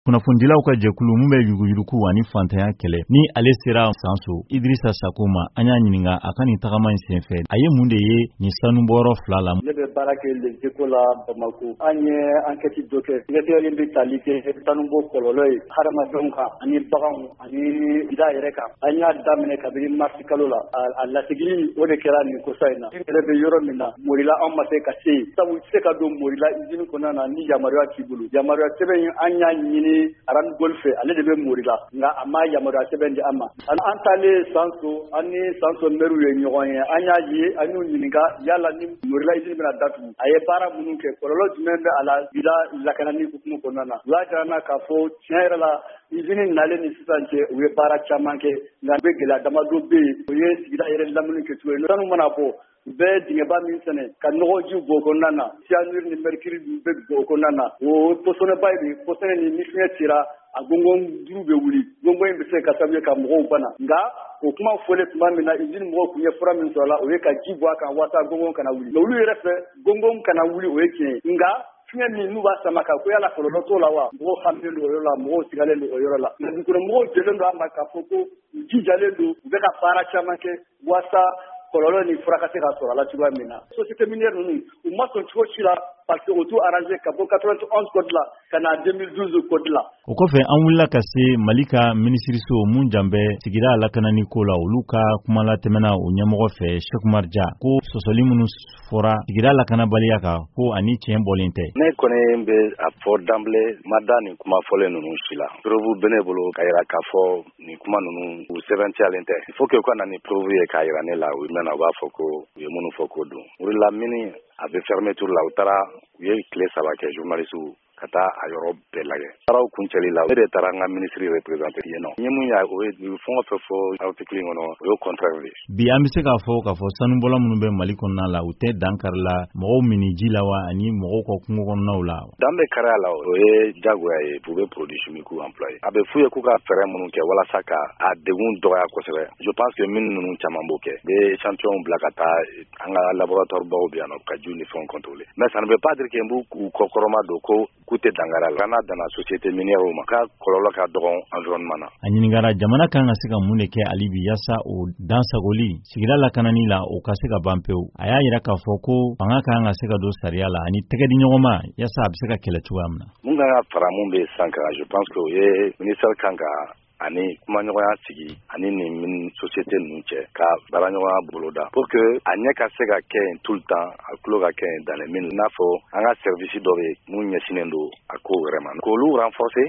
Kunnafonidilaw ka jɛkulu min bɛ yuruguyurugu ani fantanya kɛlɛ, ni ale sera Sanso Idirisa Sako ma, an y'a ɲininka a ka nin tagama in senfɛ, a ye mun de ye nin sanubɔyɔrɔ fila la? Ne bɛ baara kɛ Les Échos la Bamako. An ye enquête dɔ kɛ, sɛgɛsɛgɛli bɛ tali kɛ sanubɔ kɔlɔlɔ ye hadamadenw kan ani baganw ani sigida yɛrɛ kan. An y'a daminɛ kabini mars kalo la. A lasigili, o de kɛra nin kosa in na. N yɛrɛ bɛ yɔrɔ min na, Morila, an ma se ka se yen, sabu i tɛ se ka don Morila usine kɔnɔna na ni yamaruya t'i bolo. Yamaruya sɛbɛn in, an y'a ɲini Randgold fɛ, ale de bɛ Morila, nka a ma yamaruya sɛbɛn di an ma. An taalen Sanso, an ni Sanso maire ye ɲɔgɔn ye. An y'a ye, an y'u ɲininka yala ni Morila usine bɛna datugu, a ye baara minnu kɛ, kɔlɔlɔ jumɛn bɛ a la sigida lakanani hukumu kɔnɔna na. U y'a jira an na k'a fɔ tiɲɛ yɛrɛ la, usine nalen ni sisan cɛ, u ye baara caman kɛ, nka bɛ gɛlɛya damadɔ bɛ yen, o ye sigida yɛrɛ lamini kɛcogo ye. Sanu mana bɔ, u bɛ dingɛba min sɛnɛ ka nɔgɔji bɔ o kɔnɔna na, cyanure ni mercure bɛ bɔ o kɔnɔna na, o pɔsɔnɛba de pɔsɔnɛ ni fiɲɛ cira, a gɔngɔn duuru bɛ wuli. Gɔngɔn in bɛ se ka sababu ye ka mɔgɔw bana. Nka o kuma fɔlen tuma min na, usine mɔgɔw tun ye fura min sɔrɔ a la, o ye ka ji bɔ a kan walasa gɔngɔn kana wuli. Olu yɛrɛ fɛ, gɔngɔn kana wuli, o ye tiɲɛ ye, nka fiɲɛ min n'u b'a sama ka ko, yala kɔlɔlɔ t'o la wa? Mɔgɔw haminen don o yɔrɔ la, mɔgɔw sigalen don o yɔrɔ la. Nka dugukɔnɔmɔgɔw jɛlen don a ma k'a fɔ ko u jijalen don, u bɛ ka baara caman kɛ walasa kɔlɔlɔ ni fura ka se ka sɔrɔ a la cogoya min na. Société minière ninnu, u ma sɔn cogo si la, parce que o t'u arrangé ka bɔ 91 code la ka na 2012 code la. O kɔfɛ, an wulila ka se Mali ka minisiriso mun jan bɛ sigida lakanani ko la, olu ka kumalatɛmɛna o ɲɛmɔgɔ fɛ, Cheick Oumar Dia, ko sɔsɔli minnu fɔra sigida lakanabaliya kan, ko ani tiɲɛ bɔlen tɛ. Ne kɔni bɛ a fɔ d'emblée, ma da nin kuma fɔlen ninnu si la. Preuve bɛ ne bolo ka yira k'a fɔ nin kuma ninnu, u sɛbɛntiyalen tɛ. Il faut que u ka na ni preuve ye k'a yira ne la. U mɛna, u b'a fɔ ko u ye minnu fɔ k'o don Morila mine, a bɛ fermeture la. U taara, u ye tile 3 kɛ, journaliste ka taa a yɔrɔ bɛɛ lajɛ. Baaraw kuncɛli la, ne de taara n ka ministre représenté yen nɔ. N ye mun ye, o ye fɛn o fɛn fɔ article in kɔnɔ, o ye contraire de ye. Bi, an bɛ se k'a fɔ k'a fɔ sanubɔla minnu bɛ Mali kɔnɔna la, u tɛ dan kari la mɔgɔw mini ji la wa, ani mɔgɔw ka kungo kɔnɔnaw la? Dan bɛ kari a la, o ye jagoya ye. U bɛ produit chimique employé, a bɛ f'u ye k'u ka fɛɛrɛ minnu kɛ walasa ka a degun dɔgɔya kosɛbɛ. Je pense que mine ninnu caman b'o kɛ, u bɛ échantillon bila ka taa an ka laboratoire baw bɛ yan nɔ ka jiw ni fɛnw contrôler. Mais ça ne veut pas dire que n b'u kɔkɔrɔma don ko k'u tɛ dankari a la. N'a danna société minière ma, k'a kɔlɔlɔ ka dɔgɔn environnement na. A ɲininkara jamana kan ka se ka mun de kɛ hali bi yaasa o dansagoli sigida lakanani la, o ka se ka ban pewu. A y'a yira k'a fɔ ko fanga kan ka se ka don sariya la ani tɛgɛ di ɲɔgɔn ma yaasa a bɛ se ka kɛlɛ cogoya min na. Mun kan ka fara mun bɛ sisan kan, je pense que o ye ministère kan ka ani kumaɲɔgɔnya sigi ani nin mine société ninnu cɛ, ka baaraɲɔgɔnya boloda pour que a ɲɛ ka se ka kɛ yen tout le temps, a tulo ka kɛ yen dans les mines. I n'a fɔ an ka service dɔ bɛ yen mun ɲɛsinnen don a kow yɛrɛ ma, k'olu renforcer.